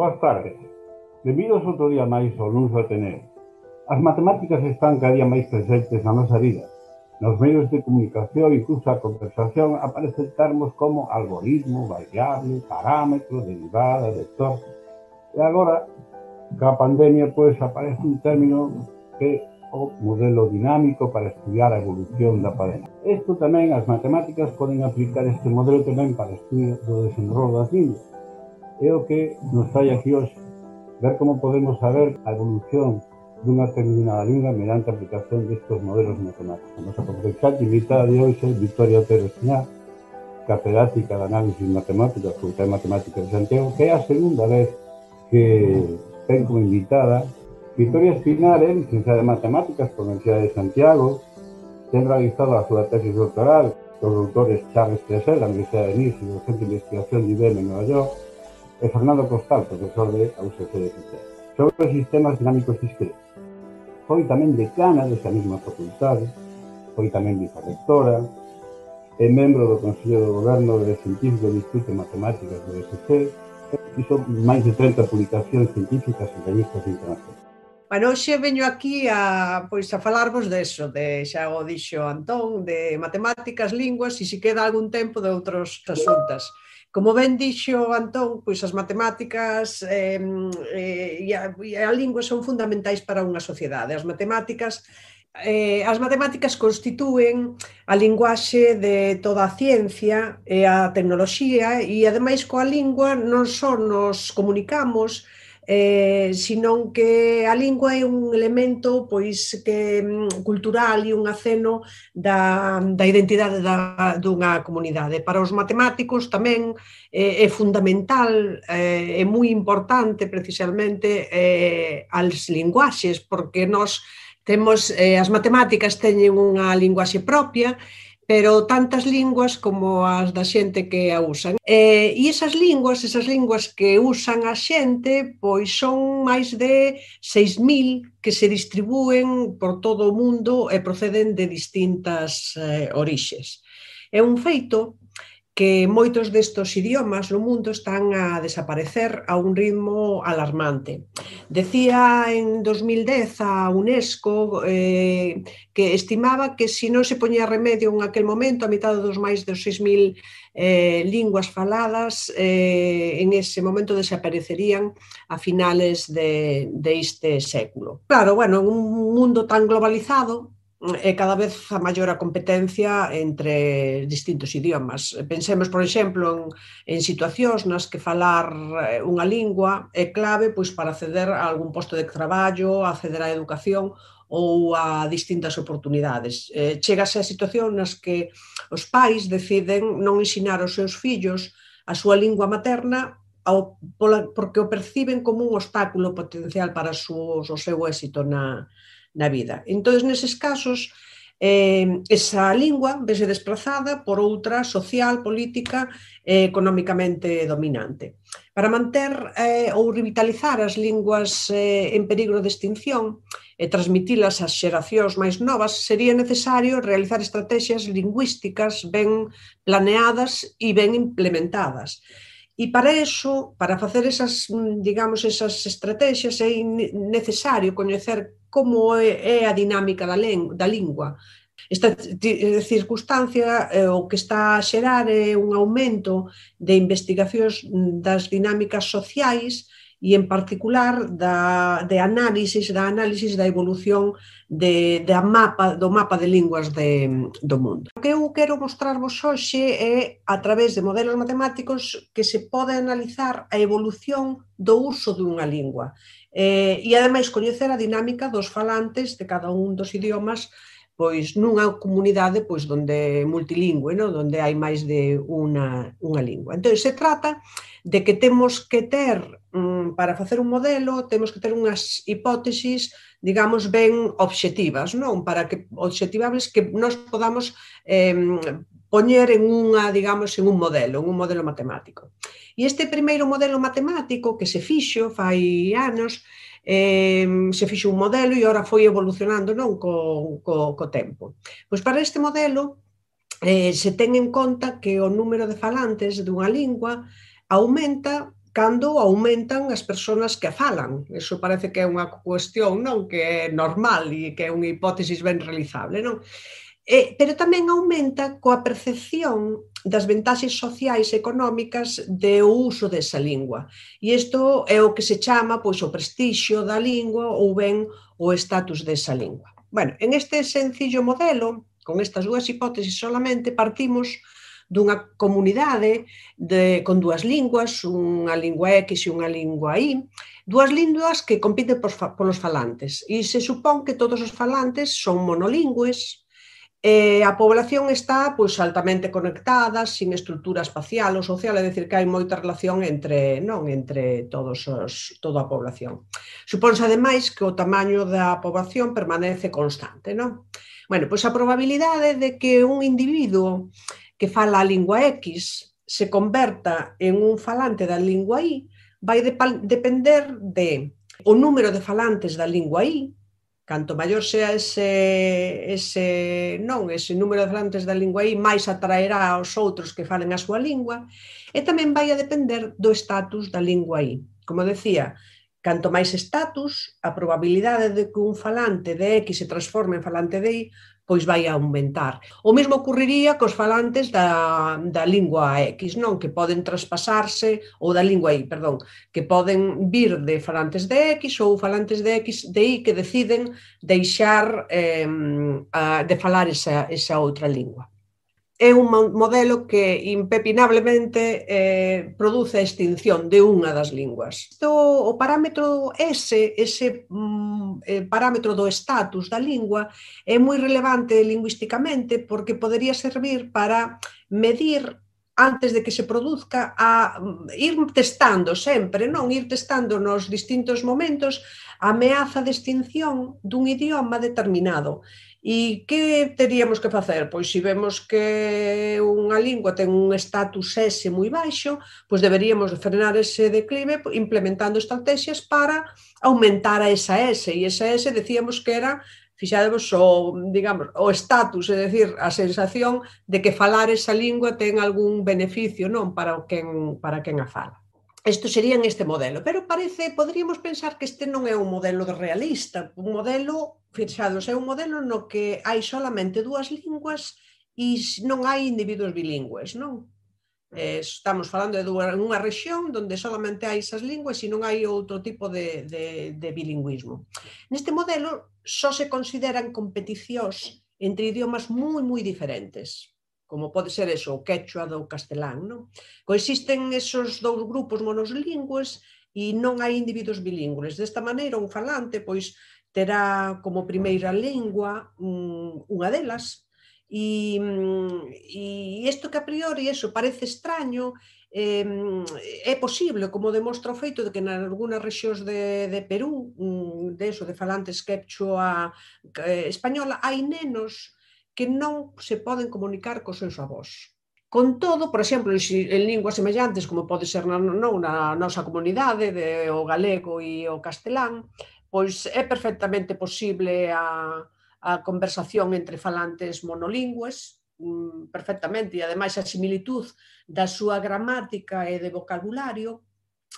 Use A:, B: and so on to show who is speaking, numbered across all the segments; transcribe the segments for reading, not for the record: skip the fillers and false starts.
A: Boas tardes. Benvidos outro día máis ao Luns do Ateneo. As matemáticas están cada día máis presentes na nosa vida. Nos medios de comunicación, incluso a conversación, aparecen termos como algoritmo, variable, parámetro, derivada, vector. E agora, ca pandemia, pois aparece un término que é o modelo dinámico para estudiar a evolución da padena. Isto tamén, as matemáticas poden aplicar este modelo tamén para o estudio do desenrolo das linguas. É o que nos trae aquí hoxe, ver como podemos saber a evolución dunha determinada lingua mediante a aplicación destes modelos matemáticos. A nosa profesora invitada de hoxe é Victoria Otero Espiñá, catedrática de análisis matemática, Facultade de Matemáticas de Santiago, que é a segunda vez que ten como invitada. Victoria Espiñá é licenciada en Matemáticas pola Universidade de Santiago, ten realizado a súa tesis doctoral cos doutores Charles Tresel, da Universidade de Nice e do Centro de Investigación de IBM en Nova York, e Fernando Costal, profesor de UCC de Fitero, sobre os sistemas dinámicos discretos. Foi tamén decana desa mesma facultade, foi tamén vicerrectora, é membro do Consello de Goberno do Científico do Instituto de Matemáticas do UCC, e fixo máis de 30 publicacións científicas en revistas internacionais.
B: Bueno, hoxe veño aquí a falarvos deso, xa o dixo Antón, de matemáticas, linguas e se queda algún tempo de outros asuntos. Como ben dixo Antón, pois as matemáticas e a lingua son fundamentais para unha sociedade. As matemáticas constitúen a linguaxe de toda a ciencia e a tecnoloxía e, ademais, coa lingua non só nos comunicamos, senón que a lingua é un elemento cultural e un aceno da identidade dunha comunidade. Para os matemáticos tamén é fundamental, é moi importante precisamente as linguaxes, porque nós temos, as matemáticas teñen unha linguaxe propia, pero tantas linguas como as da xente que a usan. E esas linguas que usan a xente, pois son máis de 6.000 que se distribúen por todo o mundo e proceden de distintas orixes. É un feito que moitos destos idiomas no mundo están a desaparecer a un ritmo alarmante. Decía en 2010 a UNESCO que estimaba que se non se poñía remedio en aquel momento a mitad dos máis de 6.000 linguas faladas en ese momento desaparecerían a finales deste século. Claro, bueno, en un mundo tan globalizado é cada vez a maior a competencia entre distintos idiomas. Pensemos, por exemplo, en situacións nas que falar unha lingua é clave para acceder a algún posto de traballo, acceder á educación ou a distintas oportunidades. Chégase a situación nas que os pais deciden non ensinar aos seus fillos a súa lingua materna porque o perciben como un obstáculo potencial para o seu éxito na vida. Entón, neses casos, esa lingua vese desplazada por outra social, política e económicamente dominante. Para manter ou revitalizar as linguas en perigo de extinción e transmitilas ás xeracións máis novas, sería necesario realizar estrategias lingüísticas ben planeadas e ben implementadas. E para iso, para facer esas estrategias, é necesario coñecer como é a dinámica da lingua. Esta circunstancia o que está a xerar é un aumento de investigacións das dinámicas sociais e, en particular, da análise da evolución do mapa de linguas do mundo. O que eu quero mostrarvos hoxe é, a través de modelos matemáticos, que se pode analizar a evolución do uso dunha lingua e, ademais, coñecer a dinámica dos falantes de cada un dos idiomas nunha comunidade donde multilingüe, onde hai máis de unha lingua. Entón, se trata de que temos que ter, para facer un modelo, temos que ter unhas hipótesis, digamos, ben obxectivas, obxectivables que nós podamos poñer en un modelo matemático. E este primeiro modelo matemático que se fixo fai anos, se fixo un modelo e ora foi evolucionando co tempo. Pois para este modelo se ten en conta que o número de falantes dunha lingua aumenta cando aumentan as persoas que a falan. Iso parece que é unha cuestión, non, que é normal e que é unha hipótesis ben realizable, non? Pero tamén aumenta coa percepción das vantaxes sociais e económicas do uso desa lingua. E isto é o que se chama pois, o prestixio da lingua ou ben o estatus desa lingua. Bueno, en este sencillo modelo, con estas dúas hipótesis solamente, partimos dunha comunidade con dúas linguas, unha lingua X e unha lingua Y, dúas linguas que compiten polos falantes. E se supón que todos os falantes son monolingües, a población está pois, altamente conectada, sin estrutura espacial ou social, é dicir, que hai moita relación entre toda a población. Supónse, ademais, que o tamaño da poboación permanece constante, non? Bueno, pois a probabilidade de que un individuo que fala a lingua X se converta en un falante da lingua Y vai depender de o número de falantes da lingua Y. Canto maior sea ese número de falantes da lingua Y, máis atraerá aos outros que falen a súa lingua, e tamén vai a depender do estatus da lingua Y. Como decía, canto máis estatus, a probabilidade de que un falante de X se transforme en falante de Y pois vai a aumentar. O mesmo ocurriría cos falantes da lingua X, non? Que poden traspasarse, ou da lingua Y, perdón, que poden vir de falantes de X ou falantes de X de Y que deciden deixar de falar esa outra lingua. É un modelo que impepinablemente produce a extinción de unha das linguas. O parámetro ese parámetro do estatus da lingua é moi relevante lingüísticamente porque podería servir para medir antes de que se produzca, a ir testando sempre, non? Ir testando nos distintos momentos a ameaza de extinción dun idioma determinado. E que teríamos que facer? Pois se vemos que unha lingua ten un estatus S moi baixo, pois deberíamos frenar ese declive implementando estrategias para aumentar a esa S. E esa S decíamos que era, fixadevos, o estatus, é dicir, a sensación de que falar esa lingua ten algún beneficio, non, para quen a fala. Isto sería en este modelo, pero poderíamos pensar que este non é un modelo realista, un modelo, fixados, é un modelo no que hai solamente dúas linguas e non hai individuos bilingües, non? Estamos falando de unha rexión onde solamente hai esas linguas e non hai outro tipo de bilingüismo. Neste modelo só se consideran competicións entre idiomas moi diferentes, como pode ser o quechua do castelán, non? Coexisten esos dous grupos monolingües e non hai individuos bilingües. Desta maneira, un falante pois terá como primeira lingua unha delas, e isto que a priori parece extraño, é posible, como demostra o feito de que en algunhas rexións de Perú, de falantes quechua española, hai nenos que non se poden comunicar cos seus avós. Con todo, por exemplo, en linguas semellantes, como pode ser na nosa comunidade, o galego e o castelán, pois é perfectamente posible a conversación entre falantes monolingües, perfectamente, e ademais a similitud da súa gramática e de vocabulario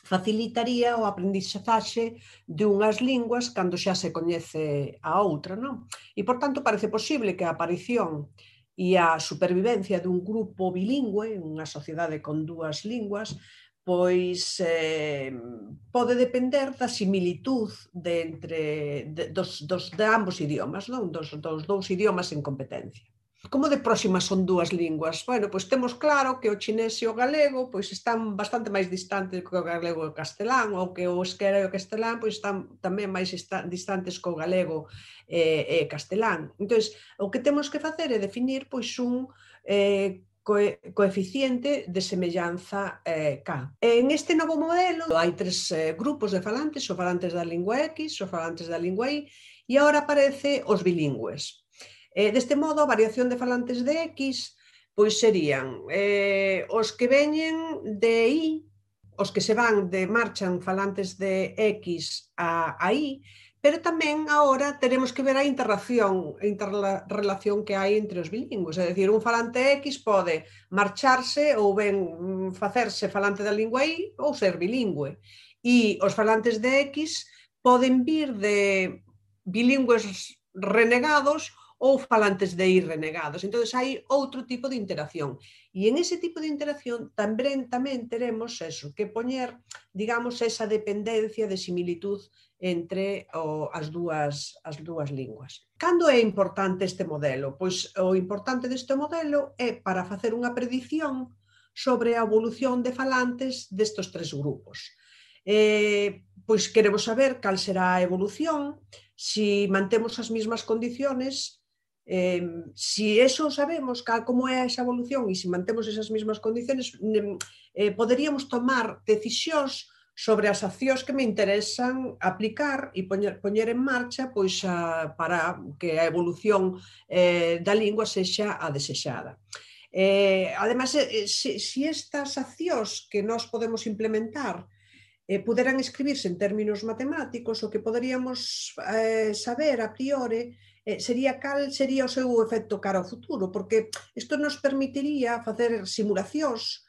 B: facilitaría o aprendizaxe de unhas linguas cando xa se coñece a outra, non? E, por tanto, parece posible que a aparición e a supervivencia dun grupo bilingüe, unha sociedade con dúas linguas, pois pode depender da similitud de ambos idiomas, non? Dos dous idiomas en competencia. Como de próximas son dúas linguas? Bueno, pois temos claro que o chinés e o galego pois están bastante máis distantes que o galego e o castelán, ou que o euskera e o castelán pois están tamén máis distantes que o galego e castelán. Entón, o que temos que facer é definir pois un coeficiente de semellanza K. En este novo modelo hai tres grupos de falantes, os falantes da lingua X, os falantes da lingua Y, e agora aparece os bilingües. Deste modo, a variación de falantes de X pois serían os que veñen de Y, os que se van marchan falantes de X a Y, pero tamén agora teremos que ver a interrelación que hai entre os bilingües, é dicir, un falante X pode marcharse ou ben facerse falante da lingua Y ou ser bilingüe, e os falantes de X poden vir de bilingües renegados ou falantes de I renegados. Entón, hai outro tipo de interacción. E en ese tipo de interacción tamén teremos eso, que poñer, digamos, esa dependencia de similitud entre as dúas linguas. Cando é importante este modelo? Pois o importante deste modelo é para facer unha predición sobre a evolución de falantes destes tres grupos. Pois queremos saber cal será a evolución, se mantemos as mesmas condiciones, se eso sabemos, como é esa evolución e se mantemos esas mesmas condiciones, poderíamos tomar decisións sobre as accións que me interesan aplicar e poñer en marcha pois, para que a evolución da lingua sexa a desexada. Ademais, se estas accións que nós podemos implementar puderan escribirse en términos matemáticos, o que poderíamos saber a priori sería cal sería o seu efecto cara ao futuro, porque isto nos permitiría facer simulacións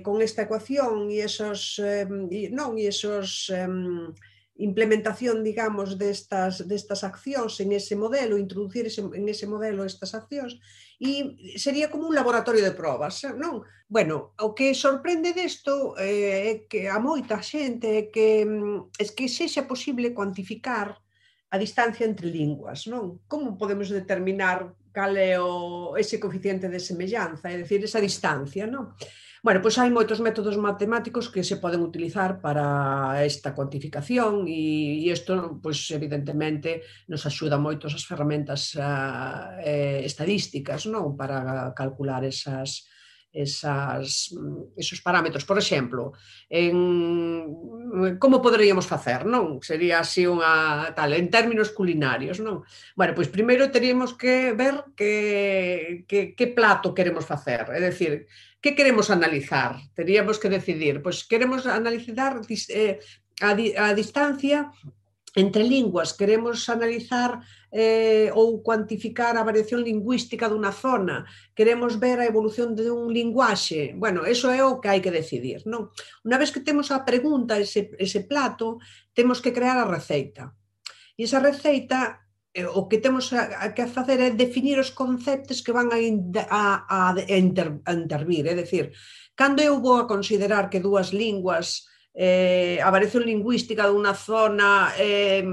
B: con esta ecuación e esos implementación, digamos, destas accións en ese modelo, introducir en ese modelo estas accións, e sería como un laboratorio de probas, non? Bueno, o que sorprende desto é que a moita xente é que sexa posible cuantificar a distancia entre linguas, non? Como podemos determinar cal é ese coeficiente de semellanza, é dicir, esa distancia, non? Bueno, pois hai moitos métodos matemáticos que se poden utilizar para esta cuantificación e isto, pois, evidentemente, nos axuda moito as ferramentas estadísticas, non? Para calcular esos parámetros. Por exemplo, como poderíamos facer, non? Sería así en términos culinarios, non? Bueno, pois primeiro teríamos que ver que plato queremos facer, é dicir, que queremos analizar? Teríamos que decidir, pois queremos analizar a distancia entre linguas, queremos analizar ou cuantificar a variación lingüística dunha zona, queremos ver a evolución dun linguaxe. Bueno, eso é o que hai que decidir, non? Unha vez que temos a pregunta, ese plato, temos que crear a receita. E esa receita, o que temos que facer é definir os conceptos que van a intervir. É dicir, cando eu vou a considerar que dúas linguas, a variación lingüística dunha zona é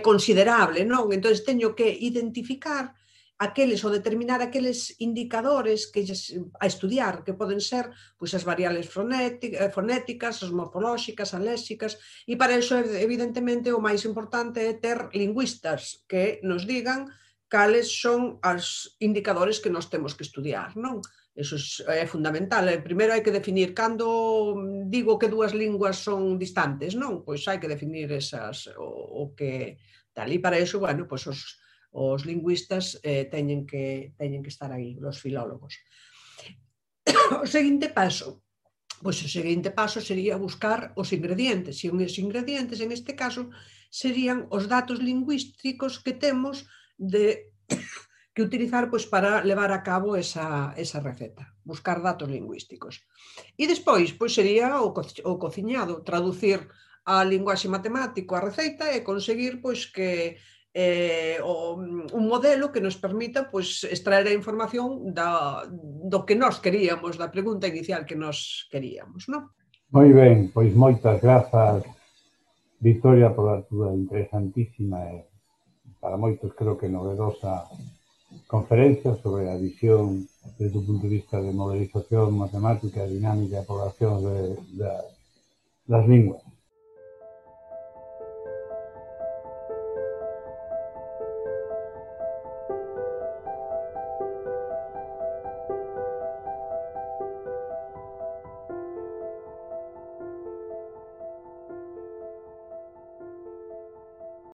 B: considerable, non? Entón, teño que identificar aqueles ou determinar aqueles indicadores a estudiar, que poden ser pois, as variables fonéticas, as morfolóxicas, as léxicas, e para iso, evidentemente, o máis importante é ter lingüistas que nos digan cales son os indicadores que nós temos que estudiar, non? Iso é fundamental. Primeiro hai que definir cando digo que dúas linguas son distantes, non? Pois hai que definir o que tal. E para iso, bueno, pois os lingüistas teñen que estar aí, os filólogos. O seguinte paso sería buscar os ingredientes, e os ingredientes, en este caso, serían os datos lingüísticos que temos que utilizar para levar a cabo esa receta, buscar datos lingüísticos. E despois sería o cociñado, traducir a linguaxe matemático a receita e conseguir que un modelo que nos permita extraer a información do que nós queríamos, da pregunta inicial que nós queríamos, non?
A: Moi ben, pois moitas grazas, Victoria, pola túa interesantísima e para moitos creo que novedosa conferencia sobre a visión desde o punto de vista de modelización matemática, dinámica e población das linguas.